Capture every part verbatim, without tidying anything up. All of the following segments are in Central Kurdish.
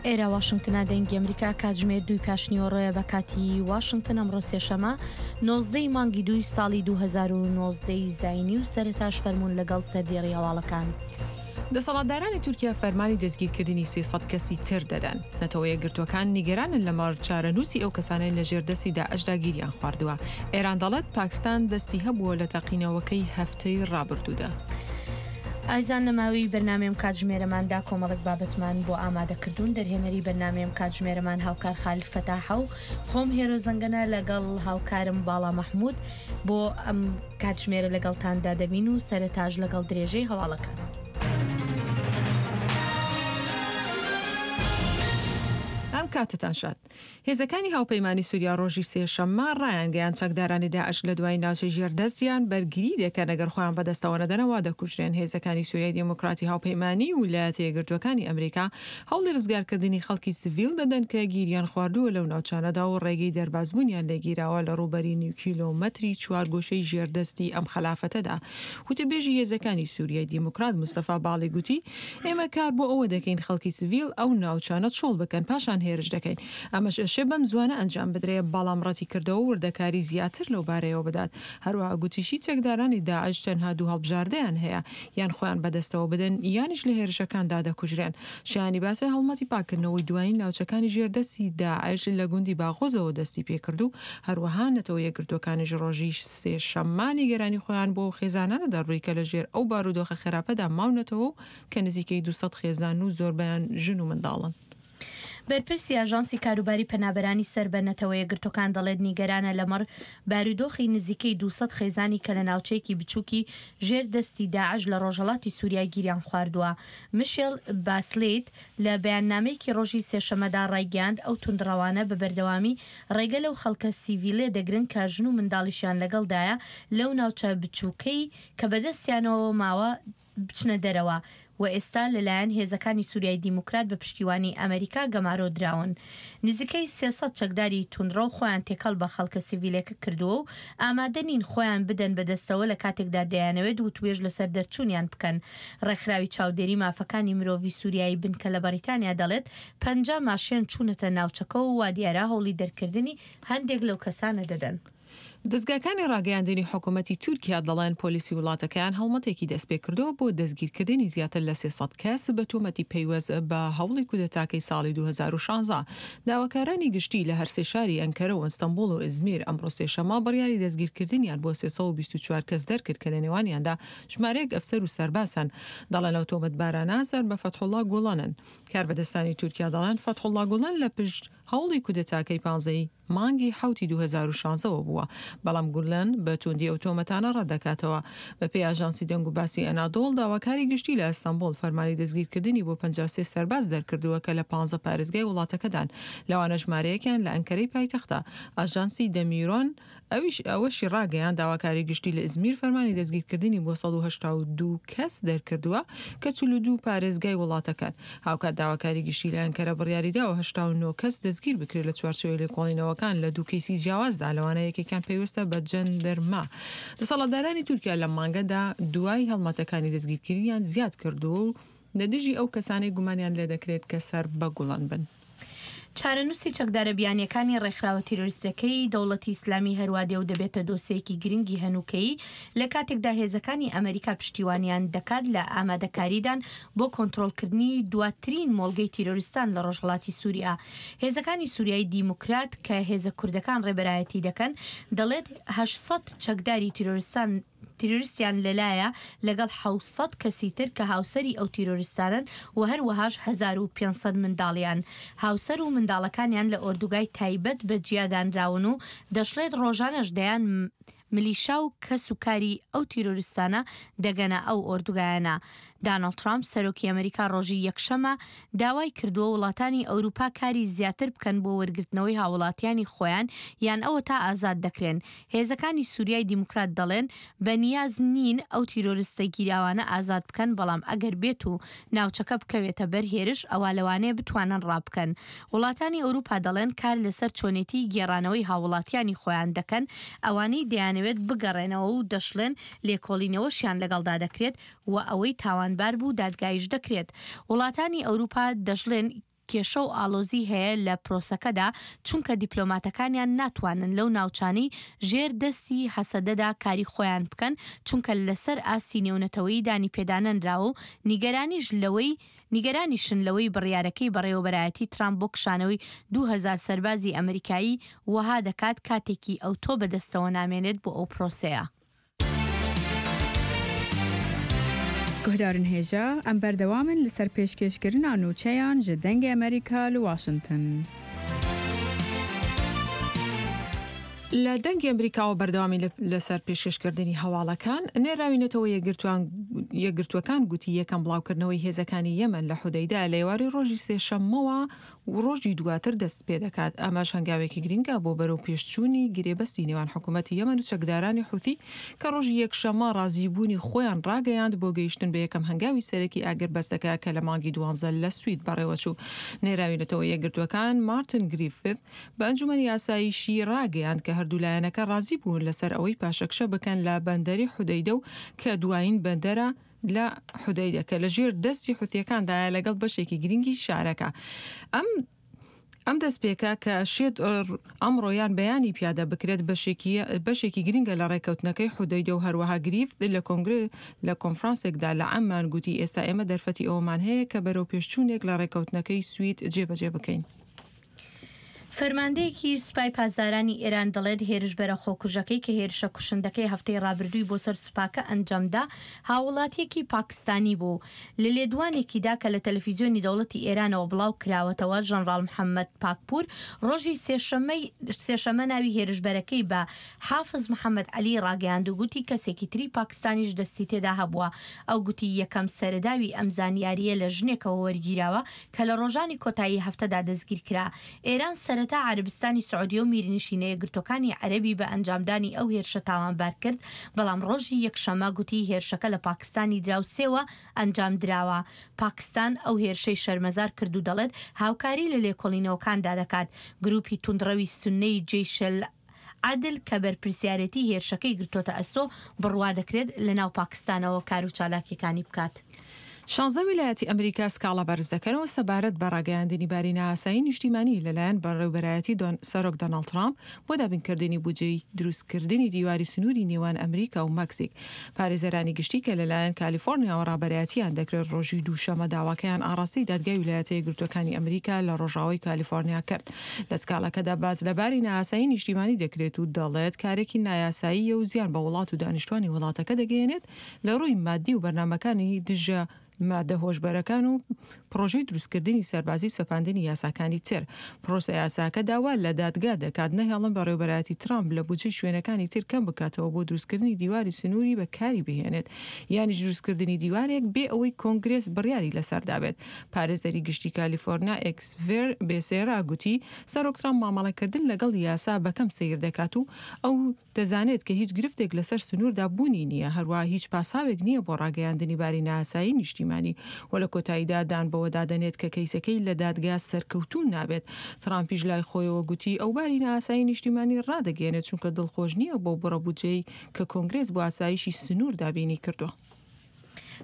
ئێرە واشنگتنە، دەنگی ئەمریکا. کاتژمێر دووی پاشنیوەڕۆیە بە کاتی واشنگتن. ئەمڕۆ سێشەمە نۆزدەی مانگی دووی ساڵی دوو هەزار و نۆزدە ی زاینی و سەرەتاش فەرموون لەگەڵ سەردێڕی هەواڵەکان. دەسەڵاتدارانی تورکیا فەرمانی دەستگیرکردنی سێ سەد کەسی تر دەدەن. نەتەوە یەکگرتووەکان نیگەرانن لەمەڕ چارەنووسی ئەو کەسانەی لەژێر دەستی داعشدا گیریان خواردووە. ئێران دەڵێت پاکستان دەستی هەبووە لە تەقینەوەکەی هەفتەی ڕابردوودا. ئایزان لە ماوەی بەرنامەی کاتژمێرەماندا کۆمەڵێک بابەتمان بۆ ئامادەکردوون. دەرهێنەری بەرنامەی کاتژمێرەمان هاوکار خالید فەتاحە و خۆم هێرۆ زەنگەنە لەگەڵ هاوکارم باڵا مەحمود بۆ ئەم کاتژمێرە لەگەڵتاندا دەبین و سەرەتاش لەگەڵ درێژەی هەواڵەکان. ئەم کاتتان شاد. هێزەکانی هاوپەیمانی سووریا ڕۆژی سێشەممە ڕایانگەیاند چەکدارانی داعش لە دوای ناوچەی ژێردەستیان بەرگری دەکەن، ئەگەر خۆیان بەدەستەوە نەدەنەوە دەکوژرێن. هێزەکانی سووریای دیموکراتی هاوپەیمانی و ویلایەتە یەکگرتووەکانی ئەمریکا هەوڵی ڕزگارکردنی خەڵکی سڤیل دەدەن کە گیریان خواردووە لەو ناوچانەدا و ڕێگەی دەربازبوونیان لێگیراوە لە ڕووبەری نیو کیلۆمەتری چوارگۆشەی ژێردەستی ئەم خەلافەتەدا. وتەبێژی هێزەکانی سووریای دیموکرات مستەفا باڵی گوتی ئێمە کار بۆ ئەوە دەکەین خەڵکی سڤیل ئەو ناوچانە چۆڵ بکەن، پاشان هێرش دەکەین. ئەمەش ئەشێ بەم زوانە ئەنجام بدرێ، بەڵام ڕەتی کردەوە وردەکاری زیاتر لەو بارەیەوە بدات. هەروەها گوتیشی چەکدارانی داعش تەنها دوو هەڵبژاردەیان هەیە، یان خۆیان بەدەستەوە بدەن یانیش لە هێرشەکاندا دەکوژرێن. شایانی باسە هەڵمەتی پاکردنەوەی دوایین ناوچەکانی ژێردەستی داعش لە گوندی باغۆزەوە دەستی پێکرد و هەروەها نەتەوە یەکگرتووەکانیش ڕۆژی سێشەممە نیگەرانی خۆیان بۆ خێزانانە دەربڕی کە لەژێر ئەو بارودۆخە خراپەدا ماونەتەوە و کە نزیکەی دوو سەد خێزان و زۆربەیان ژن و منداڵن. بەرپرسی ئاژانسی کاروباری پەنابەرانی سەر بە نەتەوە یەکگرتووەکان دەڵێت نیگەرانە لەمەڕ بارودۆخی نزیکەی دوو سەد خێزانی کە لە ناوچەیەکی بچووکی ژێر دەستی داعش لە ڕۆژهەڵاتی سووریا گیریان خواردووە. میشێل باسلیت لە بەیاننامەیەکی ڕۆژی سێشەممەدا ڕایگەیاند ئەو توندڕەوانە بە بەردەوامی ڕێگە لەو خەڵکە سیڤیلێ دەگرن کە ژن و منداڵیشیان لەگەڵدایە لەو ناوچە بچووکەی کە بەدەستیانەوە ماوە بچنە دەرەوە و ئێستا لەلایەن هێزەکانی سووریای دیموکرات بە پشتیوانی ئەمریکا گەمارۆ دراون. نزیکەی سێ سەد چەکداری توندڕەو خۆیان تێکەڵ بە خەڵکە سیڤیلەکە کردووە و ئامادە نین خۆیان بدەن بەدەستەوە لە کاتێکدا دەیانەوێت وتوێژ لەسەر دەرچوونیان بکەن. ڕێکخراوی چاودێری مافەکانی مرۆڤی سووریایی بنکە لە بەریتانیا دەڵێت پەنجا ماشێن چوونەتە ناوچەکە و وا دیارە هەوڵی دەرکردنی هەندێک لەو کەسانە دەدەن. دەزگاکانی ڕاگەیاندنی حکوومەتی تورکیا دەڵێن پۆلیسی وڵاتەکەیان هەڵمەتێکی دەستپێکردەوە بۆ دەستگیرکردنی زیاتر لە سێ سەد کەس بە تۆمەتی پەیوەست بە هەوڵی کودەتاکەی ساڵی دوو هەزار و شازدە. داواکارانی گشتی لە هەرسێ شاری ئەنکەرە و ئەستەنبوڵ و ئیزمیر ئەمڕۆ سێشەممە بڕیاری دەستگیرکردنیان بۆ سێ سەد و بیست و چوار کەس دەرکرد کە لە نێوانیاندا ژمارەیەک ئەفسەر و سەرباز هەن. دەڵێن ئەو تۆمەتبارانە سەر بە فەتحوڵا گوڵەنن. کاربەدەستانی تورکیا دەڵێن فەتحوڵا گوڵەن لە پشت هەوڵی کودەتاکەی پانزەی مانگی حەوتی دوو هەزار و شازدە بووە، بەڵام گولەن بە توندی ئەو تۆمەتانە ڕەت دەکاتەوە. بەپێی ئاژانسی دەنگ و باسی ئەنادۆڵ، داواکاری گشتی لە ئەستەنبوڵ فەرمانی دەستگیرکردنی بۆ پەنجا و سێ سەرباز دەرکردووە کە لە پانزە پارێزگای وڵاتەکەدان، لەوانە ژمارەیەکیان لە ئەنکەرەی پایتەختە. ئاژانسی دەمیرۆن ئەویش ئەوەشی ڕاگەیاند داواکاری گشتی لە ئیزمیر فەرمانی دەستگیرکردنی بۆ سەد و هەشتا و دوو کەس دەرکردووە کە چل و دوو پارێزگای وڵاتەکەن. هاوکات داواکاری گشتی لە ئەنکەرە بڕیاریداوە هەشتا و نۆ کەس دەستگیر بکرێت لە چوارچێوەی لێکۆڵینەوەکان لە دوو کەیسی جیاوازدا، لەوانە یەکێکیان پەیوەستە بە جەندرما. دەسەڵاتدارانی تورکیا لەم مانگەدا دوای هەڵمەتەکانی دەستگیرکردنیان زیاد کردووە و لە دژی ئەو کەسانەی گومانیان لێدەکرێت کە سەر بە گوڵەن بن. چارەنووسی چەکدارە بیانیەکانی ڕێکخراوە تیرۆریستەکەی دەوڵەتی ئیسلامی هەروادێ و دەبێتە دۆسیەکی گرنگی هەنووکەیی لە کاتێکدا هێزەکانی ئەمریکا پشتیوانیان دەکات لە ئامادەکاریدان بۆ کۆنترۆڵکردنی دواترین مۆڵگەی تیرۆریستان لە ڕۆژهەڵاتی سووریا. هێزەکانی سووریای دیموکرات کە هێزە کوردەکان ڕێبەرایەتی دەکەن دەڵێت هەشت سەد چەکداری تیرۆریستان تیرۆریستیان لەلایە لەگەڵ حەوت سەد کەسی تر کە هاوسەری ئەو تیرۆریستانن و هەروەهاش هەزار و پێنج سەد منداڵیان هاوسەر و منداڵەکانیان لە ئۆردوگای تایبەت بە جیادانراون و دەشڵێت ڕۆژانەش دەیان ملیشا و کەس و کاری ئەو تیرۆریستانە دەگەنە ئەو ئۆردوگایانە. داناڵد ترامپ سەرۆکی ئەمریکا ڕۆژی یەکشەمە داوای کردووە وڵاتانی ئەوروپا کاری زیاتر بکەن بۆ وەرگرتنەوەی هاوڵاتیانی خۆیان یان ئەوە تا ئازاد دەکرێن. هێزەکانی سووریای دیموکرات دەڵێن بە نیاز نین ئەو تیرۆریستە گیراوانە ئازاد بکەن، بەڵام ئەگەر بێت و ناوچەکە بکەوێتە بەر هێرش ئەوە لەوانەیە بتوانن ڕابکەن. وڵاتانی ئەوروپا دەڵێن کار لەسەر چۆنێتی گێڕانەوەی هاوڵاتیانی خۆیان دەکەن، ئەوانەی دەیانەوێت بگەڕێنەوە و دەشڵێن لێکۆڵینەوەشیان لەگەڵدا دەکرێت و ئەوەی تاوانبار بوو دادگایش دەکرێت. وڵاتانی ئەوروپا دەشڵێن کێشە و ئاڵۆزی هەیە لە پرۆسەکەدا، چونکە دیپلۆماتەکانیان ناتوانن لەو ناوچانەی ژێر دەستی هەسەدەدا کاری خۆیان بکەن، چونکە لەسەر ئاستی نێونەتەوەیی دانی پێدانەنراوە و نیگەرانیش لەوەی نیگەرانیشن لەوەی بڕیارەکەی بەڕێوەبەرایەتی ترامپ بۆ کشانەوەی دوو هەزار سەربازی ئەمریکایی وەها دەکات کاتێکی ئەوتۆ بەدەستەوە نامێنێت بۆ ئەو پرۆسەیە. گوهدارن هێژا ئەم بەردەوامن لەسەر پێشکێشکردنا نوچەیان ji دەنگê ئەمریکا li واشنگتن. لە دەنگی ئەمریکاوە بەردەوامی لەسەر پێشکەشکردنی هەواڵەکان، نێراوی نەتەوە یەکگرتووەکان گوتی یەکەم بڵاوکردنەوەی هێزەکانی یەمەن لە حودەیدە لە ئێوارەی ڕۆژی سێشەممەوە و ڕۆژی دواتر دەست پێ دەکات. ئەمەش هەنگاوێکی گرنگە بۆ بەرەو پێشچوونی گرێبەستی نێوان حکوومەتی یەمەن و چەکدارانی حوثی کە ڕۆژی یەکشەممە ڕازیبوونی خۆیان ڕاگەیاند بۆ گەیشتن بە یەکەم هەنگاوی سەرەکی ئاگربەستەکە کە لە مانگی دوانزە لە سوید بەڕێوەچوو. نێراوی نەتەوە یەکگرتووەکان مارتن گریفث بە ئەنجومەنی ئاسایشی ڕاگەیاند کە هەردوو لایەنەکە ڕازی بوون لەسەر ئەوەی پاشەکشە بکەن لە بەندەری حودەیدە و کە دوایین بەندەرە لە حودەیدە کە لەژێر دەستی حوثیەکاندایە لەگەڵ بەشێکی گرنگی شارەکە. ئەم ئەم دەستپێکە کە شێت ئەمڕۆیان بەیانی پیادە بکرێت بەشێکی گرنگە لە ڕێککەوتنەکەی حودەیدە و هەروەها گریفت لە کۆنگرە لە کۆنفرانسێکدا لە عەممان گوتی ئێستا ئێمە دەرفەتی ئەوەمان هەیە کە بەرەو پێشچوونێک لە ڕێککەوتنەکەی سوید جێبەجێ بکەین. فەرماندەیەکی سوپای پاسدارانی ئێران دەڵێت هێرشبەرە خۆکوژەکەی کە هێرشە کوشندەکەی هەفتەی ڕابردووی بۆ سەر سوپاکە ئەنجامدا هاوڵاتیەکی پاکستانی بوو. لە لێدوانێکیدا کە لە تەلەفیزیۆنی دەوڵەتی ئێرانەوە بڵاو کراوەتەوە، ژەنڕاڵ محەممەد پاکپور ڕۆژی سێشەممە ناوی هێرشبەرەکەی بە حافز محەممەد عەلی ڕاگەیاند و گوتی کەسێکی تری پاکستانیش دەستی تێدا هەبووە. ئەو گوتی یەکەم سەرەداوی ئەم زانیاریە لە ژنێکەوە وەرگیراوە کە لە ڕۆژانی کۆتایی هەفتەدا دەستگیر کرا. ئێران سەرەتا عەرەبستانی سعودیە و میرنشینە یەکگرتووەکانی عەرەبی بە ئەنجامدانی ئەو هێرشە تاوانبار کرد، بەڵام ڕۆژی یەکشەممە گوتی هێرشەکە لە پاکستانی دراوسێوە ئەنجام دراوە. پاکستان ئەو هێرشەی شەرمەزار کرد و دەڵێت هاوکاری لە لێکۆڵینەوەکاندا دەکات. گروپی توندڕەوی سوننەی جەیشل عادل کە بەرپرسیارێتی هێرشەکەی گرتۆتە ئەستۆ بڕوا دەکرێت لەناو پاکستانەوە کار و چالاکیەکانی بکات. شانزە ویلایەتی ئەمریکا سکاڵا بەرز دەکەنەوە سەبارەت بە ڕاگەیاندنی باری نائاسایی نیشتیمانی لەلایەن بەڕێوەبەرایەتی سەرۆک دۆناڵد ترامپ بۆ دابینکردنی بودجەی دروستکردنی دیواری سنووری نێوان ئەمریکا و مەکسیک. پارێزەرانی گشتی کە لەلایەن کالیفۆرنیاوە ڕابەرایەتیان دەکرێت ڕۆژی دووشەممە داواکەیان ئاڕاستەی دادگای ویلایەتە یەکگرتووەکانی ئەمریکا لە ڕۆژاوای کالیفۆرنیا کرد. لە سکاڵاکەدا باس لە باری نائاسایی نیشتیمانی دەکرێت و دەڵێت کارێکی نایاساییە و زیان بە وڵات و دانیشتوانی وڵاتەکە دەگەیەنێت لە ڕووی مادی و بەرنامەکانی دژە مادە هۆشبەرەکان و پرۆژەی دروستکردنی سەربازی و سەپاندنی یاساکانی تر. پرۆسە یاساکە داوا لە دادگا دەکات نەهێڵن بەڕێوەبەرایەتی ترامپ لە بودجەی شوێنەکانی تر کەم بکاتەوە بۆ دروستکردنی دیواری سنووری بەکاری بهێنێت، یانیش دروستکردنی دیوارێک بێ ئەوەی کۆنگرێس بڕیاری لەسەردا بێت. پارێزەری گشتی کالیفۆرنیا ئێکسڤێر بێسێرا گوتی سەرۆک ترامپ مامەڵەکردن لەگەڵ یاسا بەکەم سەیر دەکات و ئەو دەزانێت کە هیچ گرفتێک لەسەر سنووردا بوونی نییە، هەروە هیچ پاساوێک نییە بۆ ڕاگەیاندنی باری نائاسایی نیشتیمانی و لە کۆتاییدا دان بەوەدا دەنێت کە کەیسەکەی لە دادگا سەرکەوتوو نابێت. ترامپیش لای خۆیەوە گوتی ئەو باری نائاسایی نیشتیمانی ڕادەگەیەنێت چونکە دڵخۆش نییە بۆ بڕە بودجەی کە کۆنگرێس بۆ ئاسایشی سنوور دابینی کردووە.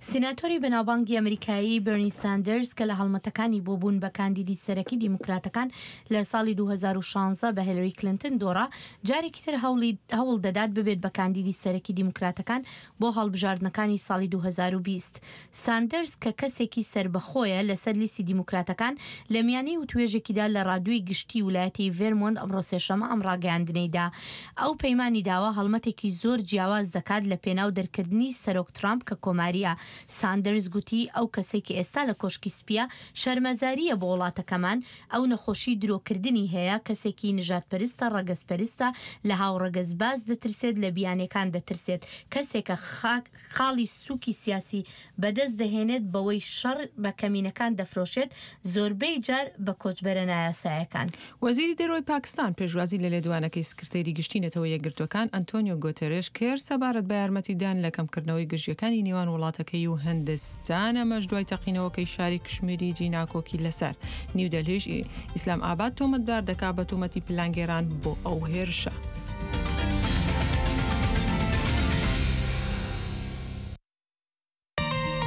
سیناتۆری بەناوبانگی ئەمریکایی بێرنی ساندەرز کە لە هەڵمەتەکانی بۆ بوون بە کاندیدی سەرەکی دیموکراتەکان لە ساڵی دوو هەزار و شانزە بە هیلری کلینتن دۆڕا، جارێکی تر هەوڵ دەدات ببێت بە کاندیدی سەرەکی دیموکراتەکان بۆ هەڵبژاردنەکانی ساڵی دوو هەزار و بیست. ساندەرز کە کەسێکی سەربەخۆیە لەسەر لیستی دیموکراتەکان لە میانەی وتوێژێکیدا لە ڕادیۆی گشتی ولایەتی ڤێرمۆنت ئەمڕۆ سێشەممە ئەم ڕاگەیاندنەیدا. ئەو پەیمانی داوە هەڵمەتێکی زۆر جیاواز دەکات لە پێناو دەرکردنی سەرۆک ترامپ کە کۆماریە. ساندەرز گوتی ئەو کەسێک کە ئێستا لە کۆشکی سپیە شەرمەزاریە بۆ وڵاتەکەمان، ئەو نەخۆشی درۆکردنی هەیە، کەسێکی نژادپەرستە، ڕەگەزپەرستە، لە هاوڕەگەزباز دەترسێت، لە بیانەکان دەترسێت، کەسێکە خاڵی سووکی سیاسی بەدەست دەهێنێت بەوەی شەڕ بە کەمینەکان دەفرۆشێت، زۆربەی جار بە کۆچبەرە نایاسایەکان. وەزیری دەرەوەی پاکستان پێشوازی لە لێدوانەکەی سکرتێری گشتی نەتەوە یەکگرتووەکان ئەنتۆنیۆ گۆتێرێش کرد سەبارەت بە یارمەتیدان لە کەمکردنەوەی گرژیەکانی نێوان وڵاتەکەی و هندستان، ئەمەش دوای تەقینەوەکەی شاری کشمیری جیناکۆکی لەسەر نیودەلهیش ئیسلام ئاباد تۆمەتبار دەکا بە تۆمەتی پلانگێران بۆ ئەو هێرشە.